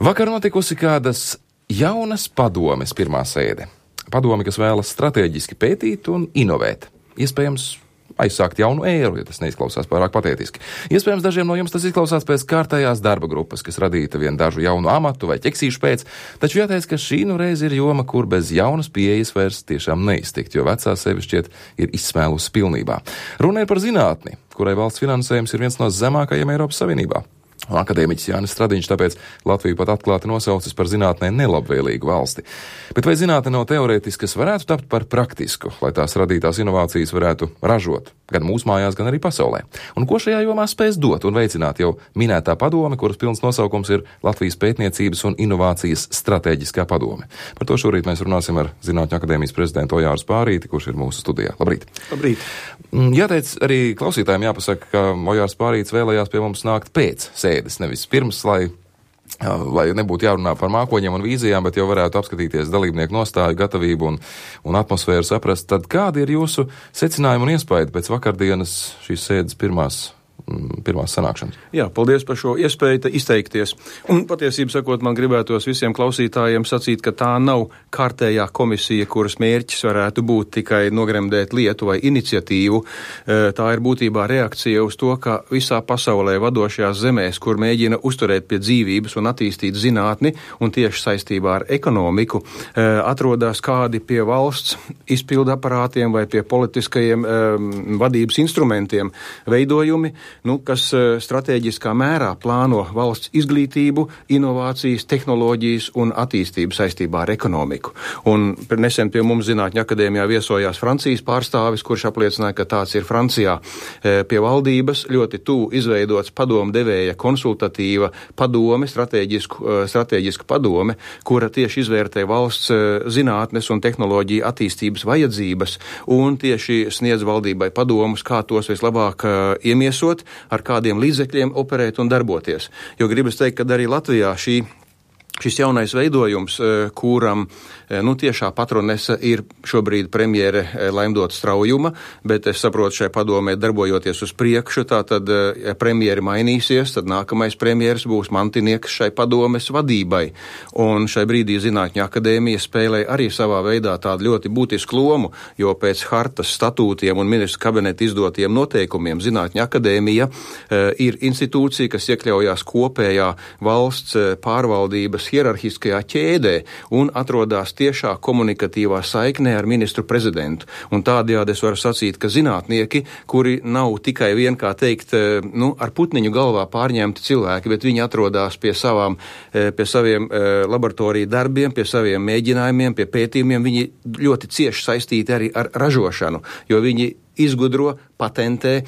Vakar notikusi kādas jaunas padomes pirmā sēde. Padomi, kas vēlas strateģiski pētīt un inovēt. Iespējams, aizsākt jaunu ēru, ja tas neizklausās pārāk patētiski. Iespējams, dažiem no jums tas izklausās pēc kārtējās darba grupas, kas radīta vien dažu jaunu amatu vai ķeksīšu pēc, taču jāteic, ka šī nu reiz ir joma, kur bez jaunas pieejas vairs tiešām neiztikt, jo vecā sevi šķiet ir izsmēlusi pilnībā. Runa ir par zinātni, kurai valsts finansējums ir viens no zemākajiem Eiropas Savienībā. Akadēmiķis Jānis Stradiņš tāpēc Latviju pat atklāti nosaucis par zinātnē nelabvēlīgu valsti. Bet vai zinātne nav teorētiski, kas varētu tapt par praktisku, lai tās radītās inovācijas varētu ražot, gan mūsu mājās, gan arī pasaulē? Un ko šajā jomā spēs dot un veicināt jau minētā padome, kuras pilns nosaukums ir Latvijas pētniecības un inovācijas stratēģiskā padome? Par to šorīt mēs runāsim ar Zinātņu akadēmijas prezidentu Ojāru Spārīti, kurš ir mūsu studijā. Labrīt! Labrīt! Jāteic, arī klausītājiem jāpasaka, ka Ojārs Spārītis vēlējās pie mums nākt pēc sēdes, nevis pirms, lai nebūtu jārunā par mākoņiem un vīzijām, bet jau varētu apskatīties dalībnieku nostāju, gatavību un atmosfēru saprast. Tad kādi ir jūsu secinājumi un iespaidi pēc vakardienas šīs sēdes pirmās sanākšanas? Jā, paldies par šo iespēju izteikties. Un patiesībā sakot, man gribētos visiem klausītājiem sacīt, ka tā nav kārtējā komisija, kuras mērķis varētu būt tikai nogremdēt lietu vai iniciatīvu. Tā ir būtībā reakcija uz to, ka visā pasaulē vadošajās zemēs, kur mēģina uzturēt pie dzīvības un attīstīt zinātni un tieši saistībā ar ekonomiku, atrodas kādi pie valsts izpildu aparātiem vai pie politiskajiem vadības instrumentiem veidojumi, kas stratēģiskā mērā plāno valsts izglītību, inovācijas, tehnoloģijas un attīstību saistībā ar ekonomiku. Un nesen pie mums Zinātņu akadēmijā viesojās Francijas pārstāvis, kurš apliecināja, ka tāds ir Francijā pie valdības ļoti tuvu izveidots padomdevēja konsultatīva padome, strateģiska padome, kura tieši izvērtē valsts zinātnes un tehnoloģiju attīstības vajadzības un tieši sniedz valdībai padomus, kā tos vislabāk iemiesot, ar kādiem līdzekļiem operēt un darboties. Jo gribas teikt, ka arī Latvijā šis jaunais veidojums, kuram tiešā patronese ir šobrīd premjere Laimdota Straujuma, bet es saprotu, šai padomē darbojoties uz priekšu, tātad, ja premjeri mainīsies, tad nākamais premjeras būs mantinieks šai padomes vadībai. Un šai brīdī Zinātņu akadēmija spēlē arī savā veidā tādu ļoti būtisku lomu, jo pēc hartas statūtiem un ministru kabineta izdotiem noteikumiem Zinātņu akadēmija ir institūcija, kas iekļaujās kopējā valsts pārvaldības hierarhiskajā ķēdē un atrodas tiešā komunikatīvā saiknē ar ministru prezidentu. Un tādējādi es varu sacīt, ka zinātnieki, kuri nav tikai vien, kā teikt, ar putniņu galvā pārņemti cilvēki, bet viņi atrodas pie saviem laboratoriju darbiem, pie saviem mēģinājumiem, pie pētījumiem, viņi ļoti cieši saistīti arī ar ražošanu, jo viņi izgudro, patentē,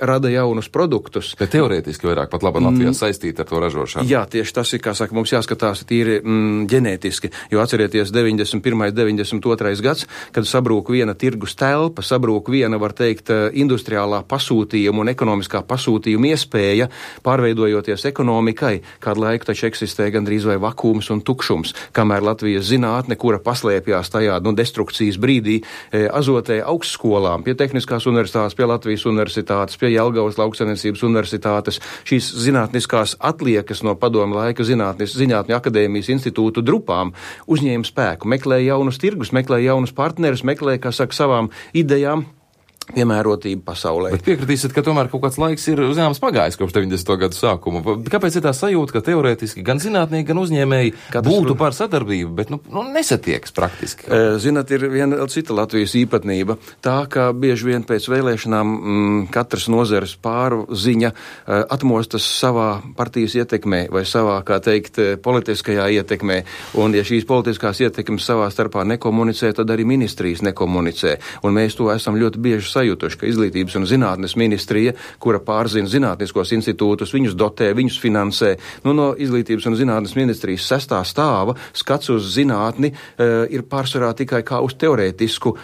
rada jaunus produktus. Bet teorētiski vairāk pat labi Latvijā saistīti ar to ražošanu. Jā, tieši tas ir, kā saka, mums jāskatās tīri ģenētiski, jo atcerieties 91. 92. gads, kad sabrūk viena tirgus telpa, sabrūk viena, var teikt, industriālā pasūtījuma un ekonomiskā pasūtījuma iespēja, pārveidojoties ekonomikai, kādu laiku taču eksistē gandrīz vai vakums un tukšums, kamēr Latvijas zinātne, kura paslēpjās tajā destrukcijas brīdī, azotē augstskolām, pie tehniskās universitātes, pie Latvijas universitātes, pie Jelgavas lauksaimniecības universitātes, šīs zinātniskās atliekas no padomu laika Zinātņu akadēmijas institūtu drupām uzņēma spēku, meklēja jaunus tirgus, meklēja jaunus partnerus, meklēja, kā saka, savām idejām piemērotību pasaulē. Bet piekritīsiet, ka tomēr kaut kāds laiks ir zināms pagājis kopš 90. gadu sākuma. Kāpēc ir tā sajūta, ka teorētiski gan zinātnieki, gan uzņēmēji būtu par sadarbību, bet nesatiekas praktiski? Zināt, ir viena cita Latvijas īpatnība. Tā, ka bieži vien pēc vēlēšanām katras nozares pārziņa atmostas savā partijas ietekmē vai savā, kā teikt, politiskajā ietekmē. Un ja šīs politiskās ietekmes savā starpā nekomunicē, tad arī ministrijas nekomunicē. Un mēs to esam ļoti bieži sajutuši, ka Izglītības un zinātnes ministrija, kura pārzina zinātniskos institūtus, viņus dotē, viņus finansē, no Izglītības un zinātnes ministrijas 6. stāva skats uz zinātni ir pārsvarā tikai kā uz teorētisku,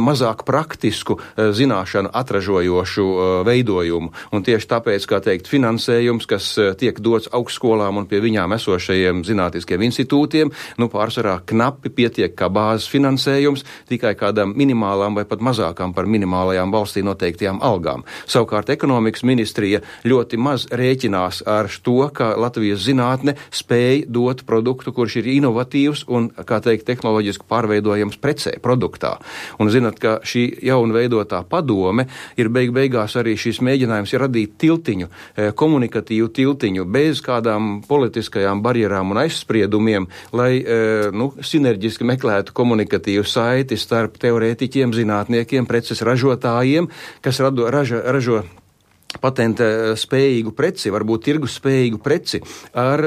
mazāk praktisku zināšanu atražojošu veidojumu. Un tieši tāpēc, kā teikt, finansējums, kas tiek dots augstskolām un pie viņām esošajiem zinātniskiem institūtiem, pārsvarā knapi pietiek kā bāzes finansējums tikai kādām minimālām vai pat pat mazākām par minimālajām valstī noteiktajām algām. Savukārt ekonomikas ministrija ļoti maz rēķinās ar to, ka Latvijas zinātne spēj dot produktu, kurš ir inovatīvs un, kā teikt, tehnoloģiski pārveidojams precē, produktā. Un zināt, ka šī jauna veidotā padome ir beigās arī šis mēģinājums ir radīt tiltiņu, komunikatīvu tiltiņu, bez kādām politiskajām barjerām un aizspriedumiem, lai sinerģiski meklētu komunikatīvu saiti starp teorētiķiem, zinātniekiem, preces ražotājiem, kas ražo patenta spējīgu preci, varbūt tirgus spējīgu preci ar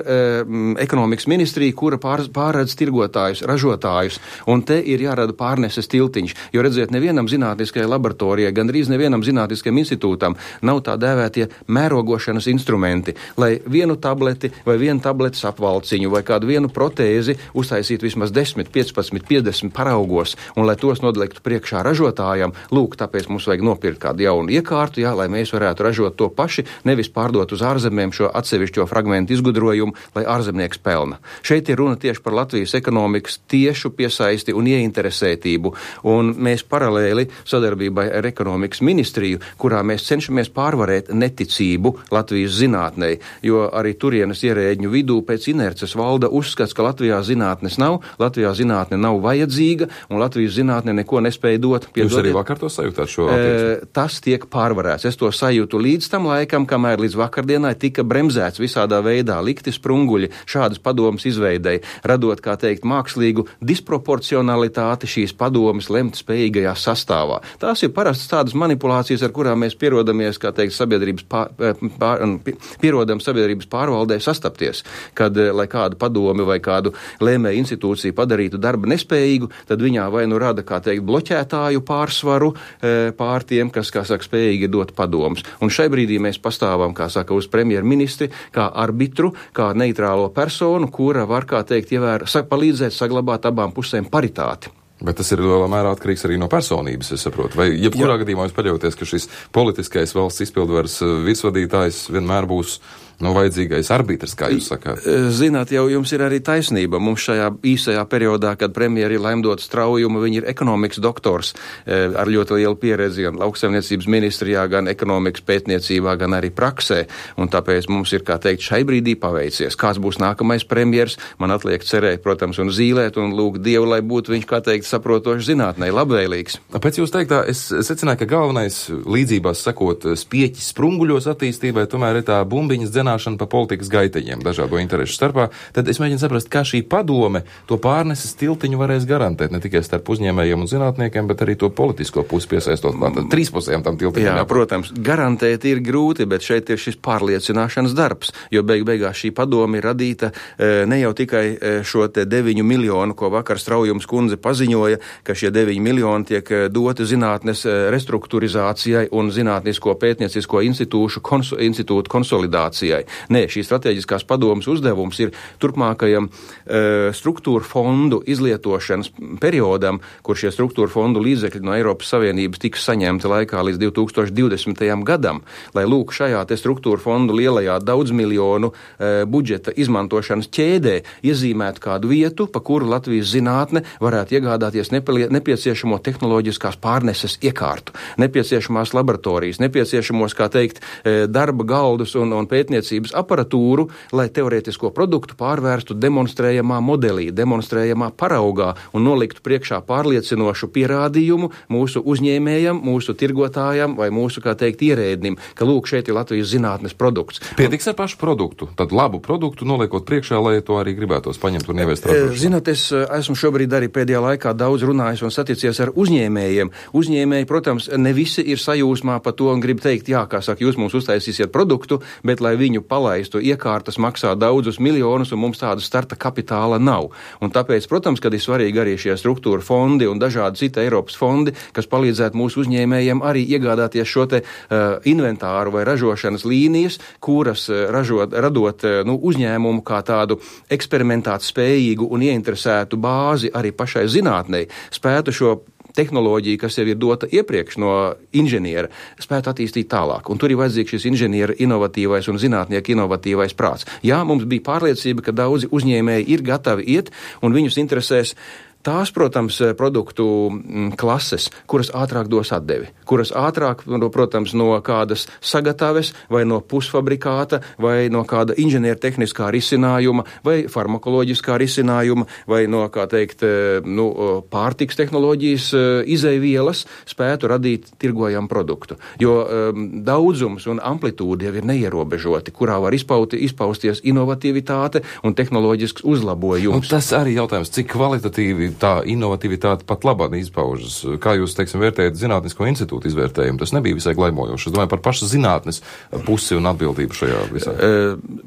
ekonomikas ministriju, kura pārredz tirgotājus, ražotājus, un te ir jārada pārneses tiltiņš, jo redziet, nevienam zinātniskajai laboratorijai, gandrīz nevienam zinātniskajam institūtam nav tā dēvētie mērogošanas instrumenti, lai vienu tableti vai vienu tabletes apvalciņu vai kādu vienu protēzi uztaisītu vismaz 10, 15, 50 paraugos, un lai tos nodliktu priekšā ražotājam, lūk, tāpēc mums vajag nopirkt kādu jaunu iekārtu, lai mēs varētu ražot to paši, nevis pārdot uz ārzemēm šo atsevišķo fragmentu izgudrojumu, lai ārzemnieks pelna. Šeit ir runa tieši par Latvijas ekonomikas tiešu piesaisti un ieinteresētību, un mēs paralēli sadarbībai ar ekonomikas ministriju, kurā mēs cenšamies pārvarēt neticību Latvijas zinātnei, jo arī turienes ierēģņu vidū pēc inerces valda uzskats, ka Latvijā zinātnes nav, Latvijā zinātne nav vajadzīga, un Latvijas zinātne neko nespēja dot. Jūs arī vakar to sajūtāt šo attieksmi? Tas tiek pārvarēts. Es to sajūtu līdz tam laikam, kamēr līdz vakardienai tika bremzēts visādā veidā, likti sprunguļi šādas padomas izveidei, radot, kā teikt, mākslīgu disproporcionalitāti šīs padomas lemt spējīgajā sastāvā. Tās ir parastas tādas manipulācijas, ar kurām mēs pierodamies, kā teikt, pierodam sabiedrības pārvaldē sastapties, kad, lai kādu padomi vai kādu lēmēju institūciju padarītu darba nespējīgu, tad viņā vai nu rada, kā teikt, bloķētāju pārsvaru pār tiem, kas, kā saka, spējīgi dot padomus. Un šai brīdī mēs pastāvam, kā saka, uz premjerministri, kā arbitru, kā neitrālo personu, kura var, kā teikt, palīdzēt saglabāt abām pusēm paritāti. Bet tas ir lielā mērā atkarīgs arī no personības, es saprotu. Vai jebkurā gadījumā jūs paļauties, ka šis politiskais valsts izpildvaras virsvadītājs vienmēr būs vajadzīgais arbitrs, kā jūs sakāt? Zināt, jau jums ir arī taisnība. Mums šajā īsajā periodā, kad premjeri lemdot straujumu, viņi ir ekonomikas doktors ar ļoti lielu pieredzi gan lauksaimniecības ministrijā, gan ekonomikas pētniecībā, gan arī praksē. Un tāpēc mums ir, kā teikt, šai brīdī paveicies. Kāds būs nākamais premjers? Man atliek cerēt, protams, un zīlēt un lūgt Dievu, lai būtu viņš, kā teikt, saprotošs zinātnē, labvēlīgs. Pēc jūs teiktā, es secināju, ka galvenais līdzībās sekot spieķis sprunguļos attīstībai, tomēr ir tā bumbiņas zināšana pa politikas gaiteņiem dažādo interešu starpā, tad es mēģinu saprast, kā šī padome to pārneses tiltiņu varēs garantēt, ne tikai starp uzņēmējiem un zinātniekiem, bet arī to politisko pusi piesaistot trīspusējām tam tiltiņam. Jā, protams, garantēt ir grūti, bet šeit ir šis pārliecināšanas darbs, jo beigās šī padome ir radīta ne jau tikai šo te 9 miljonu, ko vakar Straujums kundze paziņoja, ka šie 9 miljoni tiek doti zinātnes restruktūrizācijai un zinātnisko pētniecisko institūtu konsolidācijai. Nē, šī strateģiskās padomas uzdevums ir turpmākajam struktūra fondu izlietošanas periodam, kur šie struktūra fondu līdzekļi no Eiropas Savienības tiks saņemti laikā līdz 2020. gadam, lai lūk šajā te struktūra fondu lielajā daudzmiljonu budžeta izmantošanas ķēdē iezīmētu kādu vietu, pa kuru Latvijas zinātne varētu iegādāties nepieciešamo tehnoloģiskās pārneses iekārtu, nepieciešamās laboratorijas, nepieciešamos, kā teikt, darba galdus un pētniecības aparatūru, lai teorētisko produktu pārvērstu demonstrējamā modelī, demonstrējamā paraugā un noliktu priekšā pārliecinošu pierādījumu mūsu uzņēmējam, mūsu tirgotājam vai mūsu, kā teikt, ierēdnim, ka lūk, šeit ir Latvijas zinātnes produkts. Pietiks ar pašu produktu, tad labu produktu noliekot priekšā, lai to arī gribētos paņemt un ieviest ražošanā. Zināt, es esmu šobrīd arī pēdējā laikā daudz runājis un saticies ar uzņēmējiem. Uzņēmēji, protams, ne visi ir sajūsmā par to un grib teikt, jā, kā saka, jūs mums uztaisīsiet produktu, bet lai viņu palaistu, iekārtas maksā daudzus miljonus un mums tāda starta kapitāla nav. Un tāpēc, protams, kad ir svarīgi arī šie struktūra fondi un dažādi citi Eiropas fondi, kas palīdzētu mūsu uzņēmējiem arī iegādāties šo te inventāru vai ražošanas līnijas, kuras radot uzņēmumu kā tādu eksperimentāt spējīgu un ieinteresētu bāzi arī pašai zinātnei, spētu šo tehnoloģija, kas jau ir dota iepriekš no inženiera, spētu attīstīt tālāk. Un tur ir vajadzīgs šis inženiera inovatīvais un zinātnieka inovatīvais prāts. Jā, mums bija pārliecība, ka daudzi uzņēmēji ir gatavi iet un viņus interesēs tās, protams, produktu klases, kuras ātrāk dos atdevi, kuras ātrāk, protams, no kādas sagataves vai no pusfabrikāta vai no kāda inženiertehniskā risinājuma vai farmakoloģiskā risinājuma vai no, kā teikt, pārtiks tehnoloģijas izeivielas spētu radīt tirgojamu produktu. Jo daudzums un amplitūda jau ir neierobežoti, kurā var izpausties inovatīvitāte un tehnoloģisks uzlabojums. Un tas arī jautājums, cik kvalitatīvi tā inovatīvitāte pat labāk izpaužas. Kā jūs, teiksim, vērtējat Zinātnisko institūtu izvērtējumu? Tas nebija visai glaimojoši. Es domāju par pašas zinātnes pusi un atbildību šajā visā.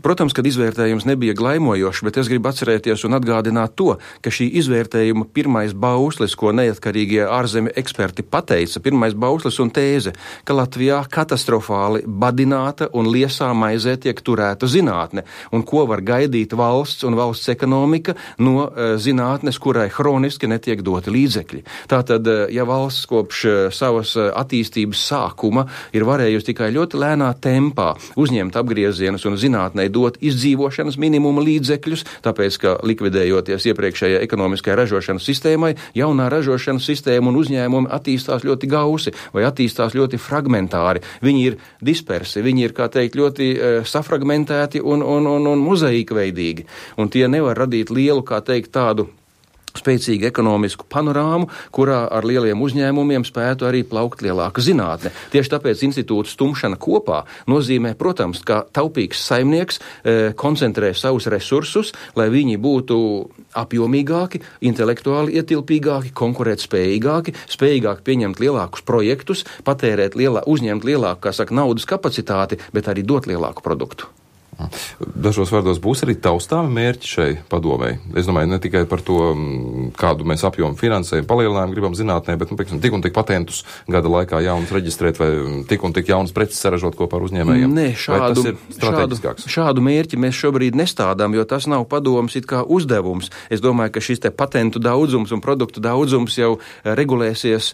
Protams, kad izvērtējums nebija glaimojošs, bet es gribu atcerēties un atgādināt to, ka šī izvērtējuma pirmais bauslis, ko neatkarīgie ārzemju eksperti pateica, pirmais bauslis un tēze, ka Latvijā katastrofāli badināta un liesā maizē tiek turēta zinātne, un ko var gaidīt valsts un valsts ekonomika no zinātnes, kurai hroniski netiek doti līdzekļi. Tātad, ja valsts kopš savas attīstības sākuma ir varējusi tikai ļoti lēnā tempā uzņemt apgriezienus un zinātnei dot izdzīvošanas minimuma līdzekļus, tāpēc, ka likvidējoties iepriekšējai ekonomiskajai ražošanas sistēmai, jaunā ražošanas sistēma un uzņēmumi attīstās ļoti gausi vai attīstās ļoti fragmentāri. Viņi ir dispersi, viņi ir, kā teikt, ļoti safragmentēti un mozaīkveidīgi. Un tie nevar radīt lielu, kā teikt, tādu spēcīgu ekonomisku panorāmu, kurā ar lieliem uzņēmumiem spētu arī plaukt lielāka zinātne. Tieši tāpēc institūta stumšana kopā nozīmē, protams, ka taupīgs saimnieks koncentrē savus resursus, lai viņi būtu apjomīgāki, intelektuāli ietilpīgāki, konkurētspējīgāki, spējīgāki pieņemt lielākus projektus, uzņemt lielāku, kā saka, naudas kapacitāti, bet arī dot lielāku produktu. Dažos vārdos būs arī taustāmi mērķi šai padomei. Es domāju, ne tikai par to, kādu mēs apjomu finansējumu palielinājumu gribam zinātnē, bet, piemēram, tik un tik patentus gada laikā jaunas reģistrēt vai tik un tik jaunas preces saražot kopā ar uzņēmējiem. Nē, šādu mērķi mēs šobrīd nestādām, jo tas nav padomas it kā uzdevums. Es domāju, ka šis te patentu daudzums un produktu daudzums jau regulēsies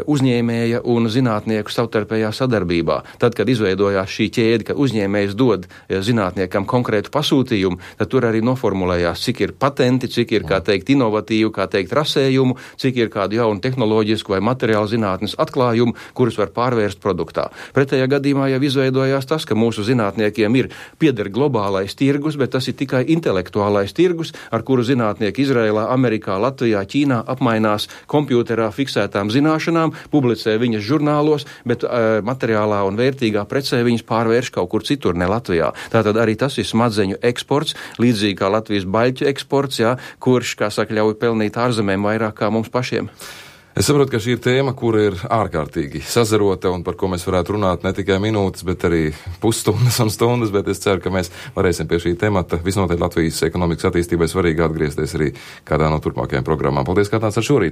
uzņēmēja un zinātnieku savtarpējā sadarbībā. Tad, kad izveidojās šī ķēde, ka uzņēmējs dod zinātniekam konkrētu pasūtījumu, tad tur arī noformulējās, cik ir patenti, cik ir, kā teikt, inovatīvu, kā teikt, rasējumu, cik ir kādu jaunu tehnoloģisku vai materiālu zinātnes atklājumu, kurus var pārvērst produktā. Pretējā gadījumā jau izveidojās tas, ka mūsu zinātniekiem pieder globālais tirgus, bet tas ir tikai intelektuālais tirgus, ar kuru zinātnieki Izrēlā, Amerikā, Latvijā, Ķīnā apmainās kompjūterā fiksētām zināšanām, publicē viņas žurnālos, bet materiālā un vērtīgā precē viņas pārvērš kaut kur citur, ne Latvijā. Tātad arī tas ir smadzeņu eksports, līdzīgi kā Latvijas baļķu eksports, kurš, kā saka, ļauj pelnīt ārzemēm vairāk kā mums pašiem. Es saprotu, ka šī ir tēma, kura ir ārkārtīgi sazarota un par ko mēs varētu runāt ne tikai minūtes, bet arī pusstundas un stundas, bet es ceru, ka mēs varēsim pie šī temata visnotaļ Latvijas ekonomikas attīstībai svarīgi atgriezties arī kādā no turpmākajām programmām. Paldies, kā tāds ar šorīt!